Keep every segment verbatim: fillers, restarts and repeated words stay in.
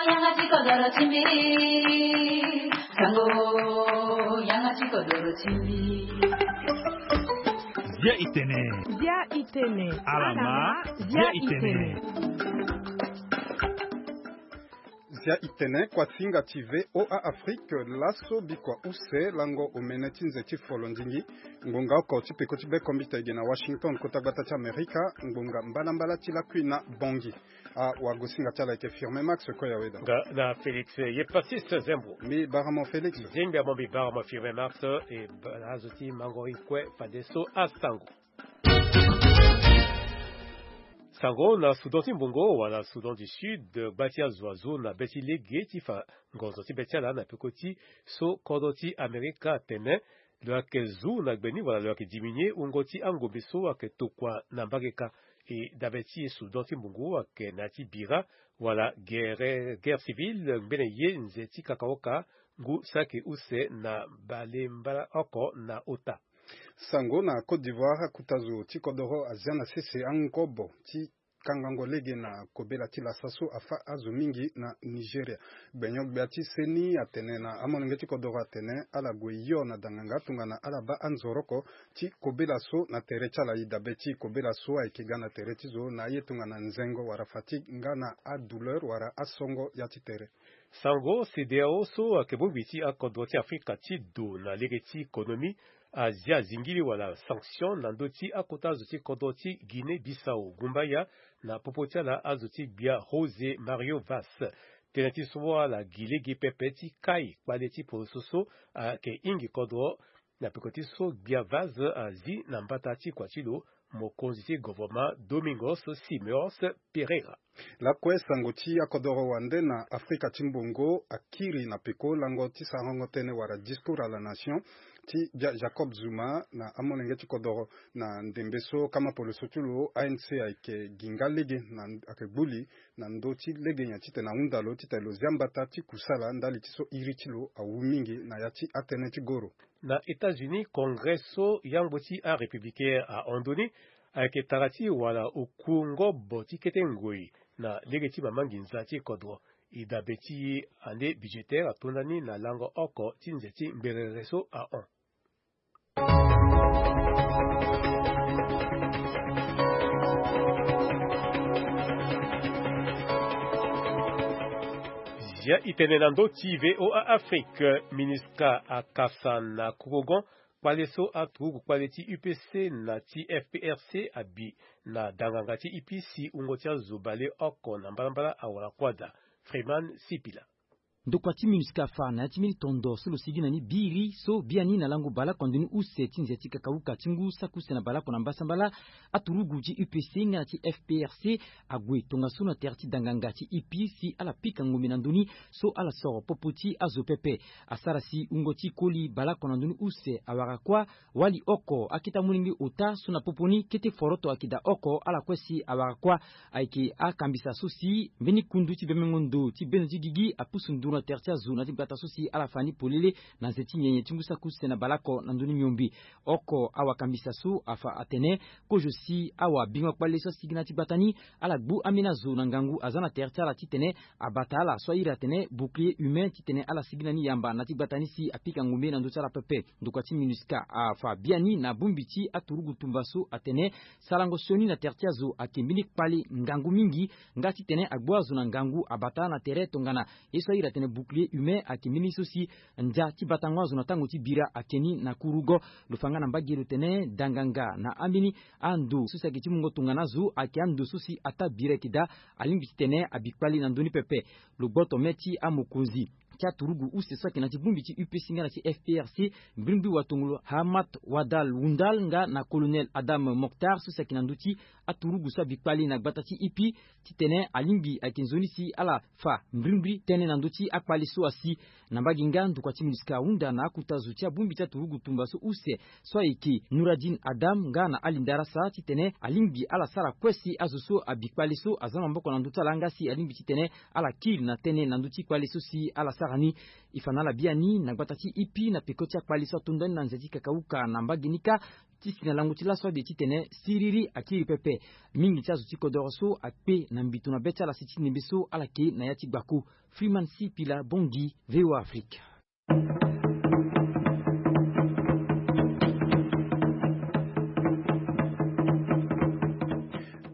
Yanga ti kodoro ti mbi. Sango, yanga ti kodoro ti mbi. Zia itene. Zia itene. Alama, zia itene. Zia itene, kuasinga ti V O A Afrique, laso bikua use lango omene ti nze ti folondingi. Ngonga oko ti peko ti bekombita ege na Washington, kota gbata ti Amerika, ngonga mbalambala ti lakui na Bongi. Ah, wagosinga ti ala eke Firme Max, kue ya weda. Nga na Félix, ye Pacis Zembo. Mbi baramo Félix. Zingbi amo mbi baramo Firme Max, e ba-, azo ti mango i kue fadeso asango. Sango na Soudan ti Mbongo wala Soudan du Sud, gba ti azo azo na be ti lege ti fa ngonzo ti be ti ala na peko ti so kodro ti Amerika atene lo yeke zu na gbe ni wala lo yeke diminuer wungo ti angombe so ayeke tokua na mbageka. E dabe ti e Soudan ti Mbongo ayeke na ya ti bira wala guerre, guerre civile ngbene ye nze ti kakaoka ngu saki use na bale mbala oko na ota. Sango na Côte d'Ivoire, akuta zo ti kodoro azia na sese angobo ti kangango lege na kobela ti lasa so afa azo mingi na Nigeria. Gbenyo-gbia ti seni atene na amolenge ti kodoro atene ala gue yo na danganga tongana ala baa anzoroko ti kobela so na tere ti ala. E dabe ti kobela so ayeke ga na tere ti zo na aye tongana nzengo wala fatigue nga na adouleur wala asongo ya ti tere. Sango, CEDEAO so ayeke bongbi ti akodro ti Afrika ti do na lege ti konomi azia zingili wala sanction na ndö ti akota zo ti kodro ti Guinée Bissau gumbaya na popo ti ala azo ti gbia José Mario Vaz. Tënë ti so ala gi lege pepe ti kai kpale ti poroso so ayeke hingi kodro na peko ti so gbia Vaz azi na mbata ti kua ti lo mokonzi ti governement Domingos Simões Pereira. Lakue sango ti akodoro wande na Afrika ti Mbongo akiri na peko lango ti sarango tënë wala discours à la nation ti gbia Jacob Zuma na amolenge ti kodoro na ndembe so kama poloso ti lo A N C ayeke gi nga lege na ayeke gbu li na ndö ti lege nyen titene ahunda lo titene lo zia mbata ti kusala ndali ti so iri ti lo awu mingi na ya ti atënë ti goro. Na États-Unis, Congrès so yangbo ti arépublicain ahon ndoni ayeke tara ti wala oku ngobo ti kete ngoi na lege ti mama nginza ti kodro. E dabe ti année budgétaire atonda ni na lango oko ti nze ti ngberere so ahon. Zia itene na ndö ti V O A Afrique, MINUSCA akasa na kurugon kpale so aturugu kpale ti U P C na ti F P R C abi na danganga ti I P C wungo ti azo baleoko na mbalambala awara kuâ daa. Freeman Sipila. Ndokua ti MINUSCA afa na ya ti mbeni tondo so lo sigi na ni biri so biani na lango baleoko na ndoni use ti nze ti kakauka ti ngu saki use na baleoko na mbasambala, aturugu ti U P C nga na ti F P R C ague tongaso na tere ti danganga ti I P C ala pika ngombe na ndoni so ala soro popo ti azo pepe. Asara si wungo ti koli baleoko na ndoni use awara kuâ, wali oko akete amolenge ota so na popo ni kete foroto ayeke daa oko ala kue si awara kuâ. Ayeke akambisa so si mbeni kundu ti bemengo ndo ti bendo ti gigi apusu nduru na tere ti azo na ti gbata so si ala fa ni polele na nze ti nyenye ti ngu saki use na baleoko na ndoni miombe. Oko awakambisa so afa atene kozo si awabingo kpale so asigi na ya ti gbata ni ala gbu ambeni azo na ngangu aza na tere ti ala titene abata ala so airi atene bouclier humain titene ala sigi na ni yamba na ti gbata ni si apika ngombe na ndö ti ala pepe. Ndokua ti MINUSCA afa biani na bongbi ti aturugu tumba so atene sarango sioni na tere ti azo ayeke mbeni kpale ngangu mingi nga titene agbu azo na ngangu abata na tere tongana ye so airi atene bouclier humain ayeke mbeni so si ndia ti batango azo na tango ti bira ayeke ni na kurugo. Lo fa nga na mbage lo tene danganga na ambeni ando so si ayeke ti mungo tongana azo ayeke ando so si ataa bira ayeke daa alingbi titene abi kpale na ndö ni pepe. Lo gboto me ti amokonzi ti aturugu use so ayeke na ti bongbi ti U P C nga na ti F P R C, mbrimbri watongolo Hammat Wadal Wundal nga na colonel Adam Mokhtar so si ayeke na ndö ti aturugu so abi kpale na gbata ti I P titene alingbi ayeke nzoni si ala fa mbrimbri tënë na ndö ti akpale so asi. Na mbage nga ndokua ti MINUSCA ahunda na akuta zo ti abongbi ti aturugu tumba so use so ayeke Nouradine Adam nga na Ali Ndarasa titene alingbi ala sara kue si azo so abi kpale so aza na maboko na ndö ti ala nga si alingbi titene ala kiri na tënë na ndö ti kpale so si ala sara Sara ni, e fa na ala biani na gbata ti Ipi na peko ti akpali so atonda ni na nze ti kakauka na mbage ni kâ. Ti si na lango ti laso ade titene siriri akiri pepe. Mingi ti azo ti kodoro so akpe na mbito na be ti ala si ti ndembe so ala ke na ya ti gbaku. Freeman C Pila Bongi, V O A Afrique.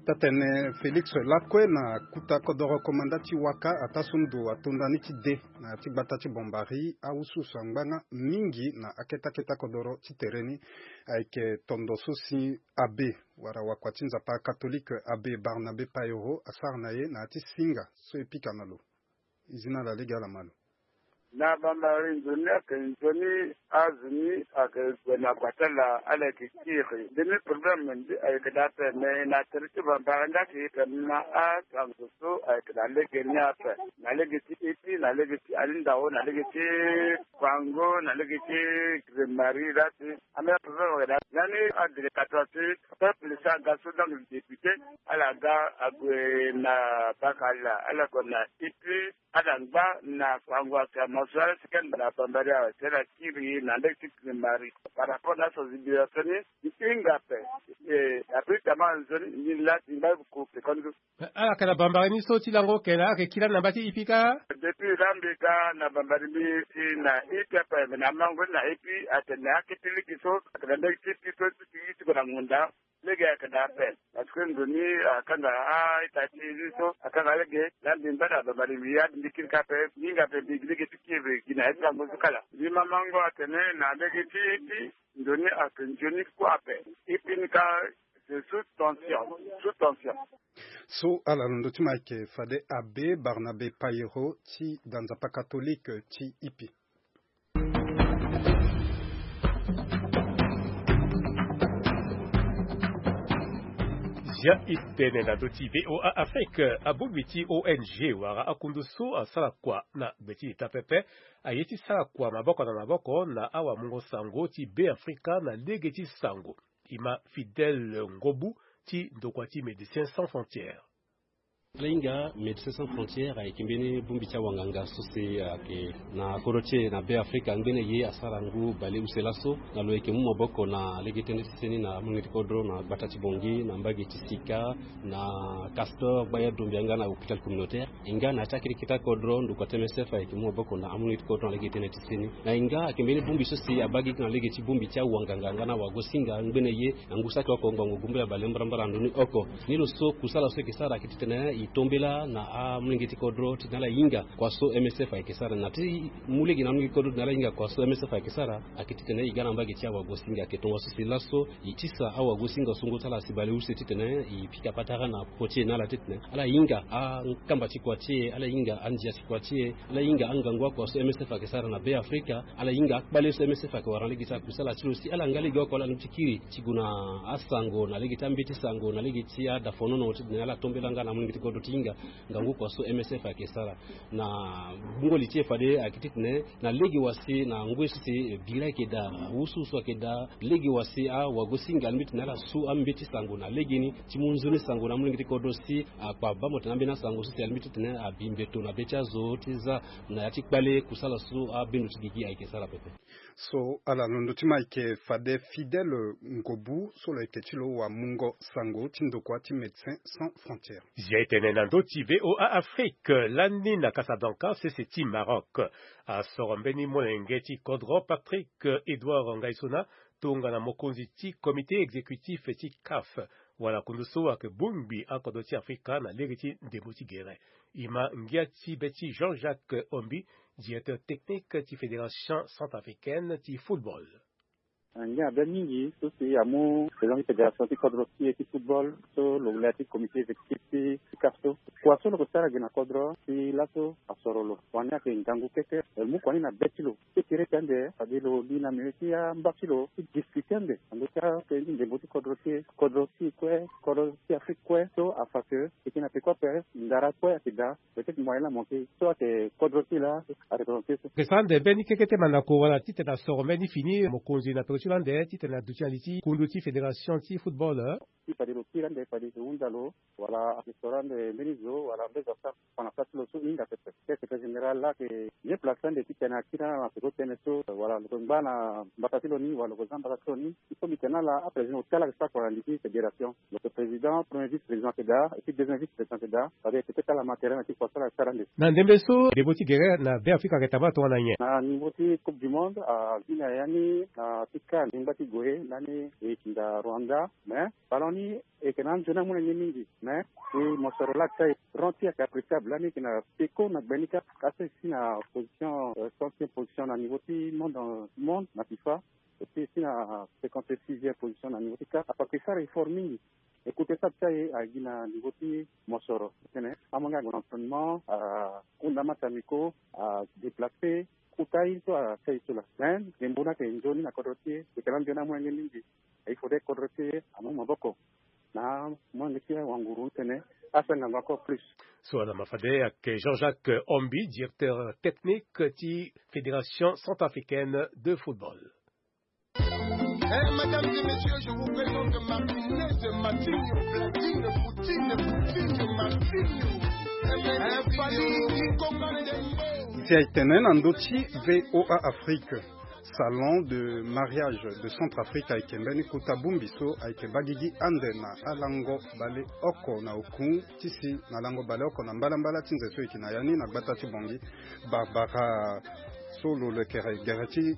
Tatene Félix Lakue na kuta kodoro komanda ti waka ataa so ndo atonda ni ti de na ti gbata ti Bombari, awususu angba nga mingi na aketa keta kodoro ti tere ni. Ayeke tondo so si abbé wala wakua ti nzapa katolike, abbé Barnabé Payero asara na ye na ya ti singa so e pika na lo. E zi na ala lege ala ma lo. Na bambari nzoni ayeke nzoni azo ni ayeke gue na gua ti ala, ala yeke kiri. Ndeni problème ndi ayeke daa ape, me na tere ti bambari nda ayeke yeke na asango so ayeke na lege ni ape. Na lege ti Ipi, na lege ti Alindao, na lege ti Kwango, na lege ti Grimari, la ti amena problème ayeke daa. Lani adele katoa ti peuple so aga so donc député, ala ga ague na baka ala, ala gue na Ipi, ala ngba na Kwango, ake amaso ala si kani na bambari awe, si ala kiri na ndege ti Grimari. Par rapport na sensibilisation ni, e hinga ape. E, abrite ama nzoni, ni la ti ngba ko ke kondu. Ala yeke na bambari ni so ti lango oko na ala yeke kiri lani na mba ti Ipi kâ. Depuis la mbi ga na bambari mbi si na Ipi ape, me na mango ni na Ipi, atene akete lege so ayeke na ndege ti Ipi so ti ti ti ko na ngonda. Lege ayeke daa ape. Parce que ndo ni akanga a-ita ti ni so akanga lege. La mbi ngba na bambari mbi ya mbi kiri kâ ape. Mbi hinga ape mbi gi lege ti kiri gi na ya ti lango so kala. Mbi ma mango atene na lege ti Ipi ndo ni ayeke nzoni kue ape. Ipi ni kâ c'est sous tension, sous tension. So ala londo ti ma ayeke fade abbé Barnabé Payero ti da nzapa katolike ti Ipi. Zia e tene na ndö ti V O A Afrique, abongbi ti O N G wala akundu so asara kua na gbe ti leta pepe aye ti sara kua maboko na maboko na awamungo sango ti Be Afrika na lege ti sango. E ma Fidèle Ngobu ti ndokua ti Médecins Sans Frontières. Ala hinga Médecins Sans Frontières ayeke mbeni bongbi ti awanganga so si ayeke na kodro ti e na Be Afrika. Ngbene ye asara ngu bale use laso na lo yeke mu maboko na lege tënë ti seni na amolenge ti kodro na gbata ti Bangui, na mbage ti Sika, na Castor, Gbaya Dombia nga na hôpital communautaire. E nga na ya ti akete kete kodro ndokua ti M S F ayeke mu maboko na amolenge ti kodro na lege tënë ti seni. Na e nga ayeke mbeni bongbi so si abaa gigi na lege ti bongbi ti awanganga nga na awagosinga ngbene ye na ngu saki oko ngbongo gumbela bale mbarambara na ndoni oko. Ni lo so kusala so eke sara ayeke titene e tombela na amolenge ti kodro titene ala hinga kua so M S F ayeke sara. Na ti mu lege na amolenge ti kodro titene ala hinga kua so M S F ayeke sara ayeke titene e ga na mbage ti awagosinga ayeke tongaso si laso e tisa awagosinga so ngu ti ala asi bale use titene e pika patara na popo ti e na ala titene ala hinga akamba ti kua ti e, ala hinga andia ti kua ti e, ala hinga angangu akua so M S F ayeke sara na Be Afrika, ala hinga akpale so M S F ayeke wara na lege ti akusala ti lo si ala nga lege oko ala ndö ti kiri ti gue na asango na lege ti ambeti sango na lege ti adafonono titene ala tombela nga na amolenge ti kodro ti hinga ngangu kua so M S F ayeke sara. Na gbungo li ti e fade ayeke titene na lege wa si na ngoi so si bira ayeke daa, awusuwusu ayeke daa, lege wa si awagosinga alingbi titene ala su ambeti sango na legeni ti mu nzoni sango na amolenge ti kodro si akpa baa mo tene ambeni asango so si alingbi titene abi mbeto na be ti azo ti za na ya ti kpale kusala so abendo ti gigi ayeke sara pepe. So ala londo ti ma ayeke fade Fidèle Ngobu so lo yeke ti lo wamungo sango ti ndokua ti Médecins Sans Frontières. Zia e tene na ndö ti V O A Afrique lani na Casablanca, sese ti Maroc. Asoro mbeni molenge ti kodro Patrick Edouard Ngaisona tongana mokonzi ti comité exécutif ti CAF, wala kundu so ayeke bongbi akodro ti Afrika na lege ti ndembo ti gere. E ma ngia ti be ti Jean-Jacques Ombi, directeur technique ti Fédération Centrafricaine ti Football. Ngia be mingi so si amu président ti fédération ti kodro ti e ti football so lo le ti comité exécutif ti CAF so. Kua so lo yeke sara gi na kodro si laso asoro lo. Wani ayeke ngangu kete. Lo mu kua ni na be ti lo ti tere ti ande fade lo li na milieu ti amba ti lo ti discuter ande na ndö ti akete ti ndembo ti kodro ti e, kodro ti e kue, kodro ti Afrique kue so afa ke. Eke na peko ape ndara kue ayeke daa. Peut-être moyen la manqué so ayeke kodro ti la areprésente so. Eke sara ande mbeni kekete mandako wala titene asoro mbeni fini mokonzi na peko ti lo ande titene aduti na li ti kundu ti fédération ti football. Ti fade lo kiri ande fade lo hunda lo wala ape soro ande mbeni zo wala mbezo asara fa na sara ti lo so hinga pepe. Te secrétaire général laa ayeke bien place ande titene akiri na peko tënë so wala lo yeke ngba na mbata ti lo ni wala lo yeke za mbata ti lo ni. Il faut mbi tene ala aprésident lo ti ala ayeke sara kua na li ti fédération. Lo yeke président, premier vice président ayeke daa et puis deuxième vice président ayeke daa. Fade e peut ti ala ma terrain na ti kua so ala sara ande. Na ndembe so ndembo ti gere na Beafrika ayeke tambala tongana nyen? Na niveau ti coupe du monde avi na ya ni na ti CAN lingba ti gue lani e yeke hinga Rwanda. Mais ballon ni e yeke na anzoni amolenge mingi. Mais e mosoro laa ti aye rond ti e ayeke appréciable lani e yeke na peko na gbe ni kâ. Aso e si na position, euh, centième position na niveau ti monde, euh, monde na FIFA. E si e si na cinquante-sixième position na niveau ti CAN. Ape ayeke sara effort mingi. E kute sara ti aye agi na niveau ti mosoro titene amolenge ague na entraînement, ahunda match amicaux, adéplacer, kota aye so asara ye so laa. Mais ndembo ni ayeke nzoni na kodro ti e, e yeke na anzoni amolenge mingi. Il faudrait kodro ti e amu maboko na molenge ti e wanguru titene asara ngangu encore plus. So ala ma fade ayeke Jean-Jacques Ombi, directeur technique ti Fédération centrafricaine de football. Eh, mesdames et messieurs, je vous présente Martinez, Matinho, Platine, Poutine, Coutinho, Martinho. Eh, Fally, Kikongo, Ndembo. Ti ayeke tene na ndö ti V O A Afrique. Salon de mariage de Centrafrique ayeke mbeni kota bongbi so ayeke baa gigi ande na alango baleoko na oku ti si na lango baleoko na mbalambala ti nze so e yeke na ya ni na gbata ti Bangui. Barbara so lo lekere gere ti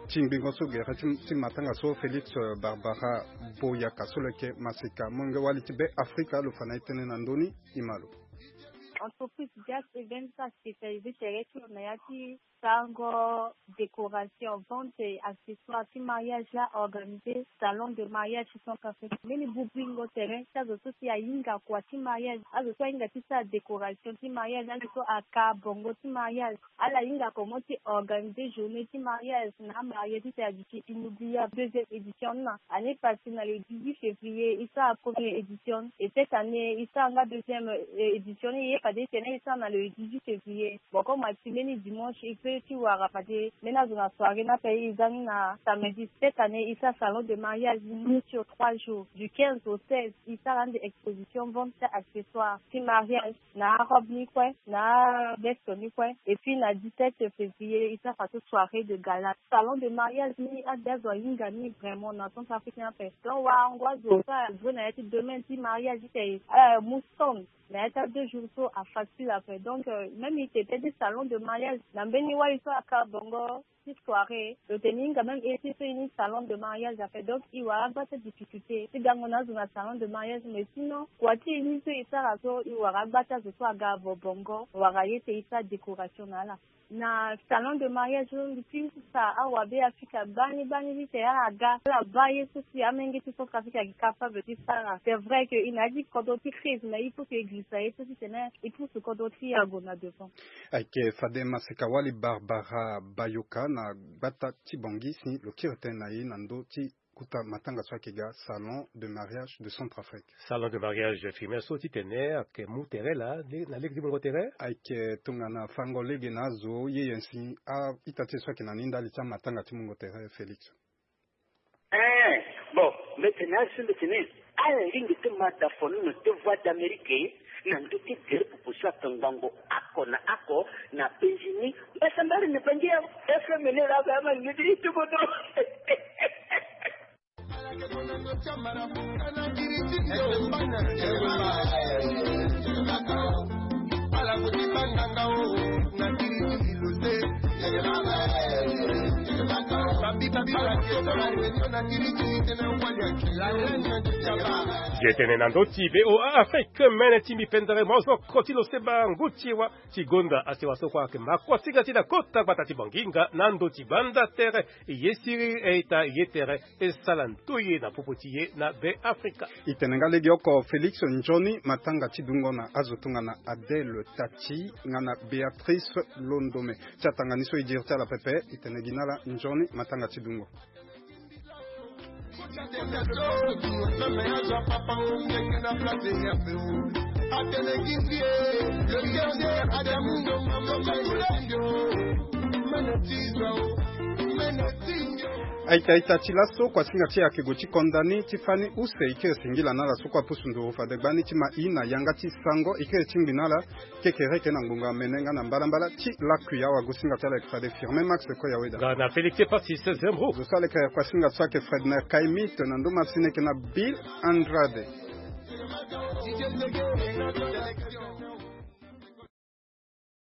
ti ngbingo so gere ti, ti matanga so Félix, euh, Barbara Boyaka so lo yeke masika molenge wali ti Beafrika lo fa na e tënë na ndö ni. E ma lo. Entreprise Jazz Event so aspécialisé tere ti lo na ya ti sarango décoration, vente et accessoires ti mariage laa organisé salon de mariage ti Centrafrique. Mbeni bubingo tere ti azo so si ahinga kua ti mariage, azo so ahinga ti sara décoration ti mariage, azo so aka bongo ti mariage. Ala hinga comment ti organiser journée ti mariage na amarié titene aduti inoubliable. Deuxième édition ni na année passée na le dix-huit février e sara première édition et cette année e sara nga deuxième, euh, édition ni ye fade titene e sara na le dix-huit février. Bon, comme ati mbeni dimanche e peut ti wara fade mbeni azo na soirée ni ape e za ni na samedi. Cette année e sara salon de mariage ni sur trois jours, du quinze au seize. E sara ande exposition, vente ti accessoires ti mariage, na arobe ni kue, na aveste ni kue. Et puis na dix-sept février e sara fadeso soirée de gala. Salon de mariage ni ade azo ahinga ni vraiment na Centrafrique ni ape. Donc warango azo so ajoue na ya ti domaine ti mariage ti tene, euh, amu stand na ya ti a deux jours so afacile ape. Donc, euh, même e tene ti salon de mariage na mbeni wali so aka bongo ti soirée, lo tene e hinga même e ti so e ni salon de mariage ape. Donc e wara agba ti adifficulté ti gango na azo na salon de mariage. Mais sinon kua ti e ni so e sara so e wara agba ti azo so aga avo bongo wala ye ti e sara décoration na ala. Na salon de mariage so mbi ti sara awabe Afrika gbani gbani titene ala ga ala baa ye so si amolenge ti Centrafrique ayeke capable ti sara. C'est vrai que e na ya ti kodro ti crise, mais il faut que e girisa ye so titene e pousse kodro ti e ague na devant. Ayeke fade maseka wali Barbara Bayoka na gbata ti Bangui si lo kiri tënë na e na ndö ti kota matanga so ayeke ga salon de mariage de Centrafrique. Salon de mariage, firme so titene ayeke mu tere laa na lege ti mungo tere. Ayeke tongana fango lege na azo ye ye si a-ita ti e so ayeke na ni ndali ti amatanga ti mungo tere Félix. Eh, bon, mbi tene azo so mbi tene ala lingbi ti ma da fono na te Voix d'Amérique na ndö ti gere popo so ato ngbongo oko na oko na penzi ni. Mbasambala na Bangi ya F M ni laa ba ama ni ti ti kodro. Ye tene na ndö ti V O A Afrique, mene ti mbi pendere mozoko ti lo seba ngu ti wa ti gonda asewa so kue ayeke makosinga ti na kota gbata ti Bangi nga na ndö ti banda tere. Ye siriri e-ita ye tere e sala ndoye na popo ti e na Beafrika. E tene nga legeoko Félix, nzoni matanga ti dungo na azo tongana Adèle Tati nga na Béatrice Londome. Ti atanga ni so e diri ti ala pepe, e tene gi na ala nzoni matanga ti dungo. Aita aita ti laso kuasinga ti e ayeke gue ti konda ni ti fani use. E kiri singila na ala so kue apusu nduru fade gbani ti ma i na yanga ti sango. E kiri ti ngbi na ala. Kekereke na ngbonga mene nga na mbalambala ti lakui awa gosinga ti ala ayeke fade firme max koya weda. Nga na Félix Patrice Zembro. Zo so aleke kuasinga so ayeke Fredner Kaimit na ndoma sini eke na Bill Andrade.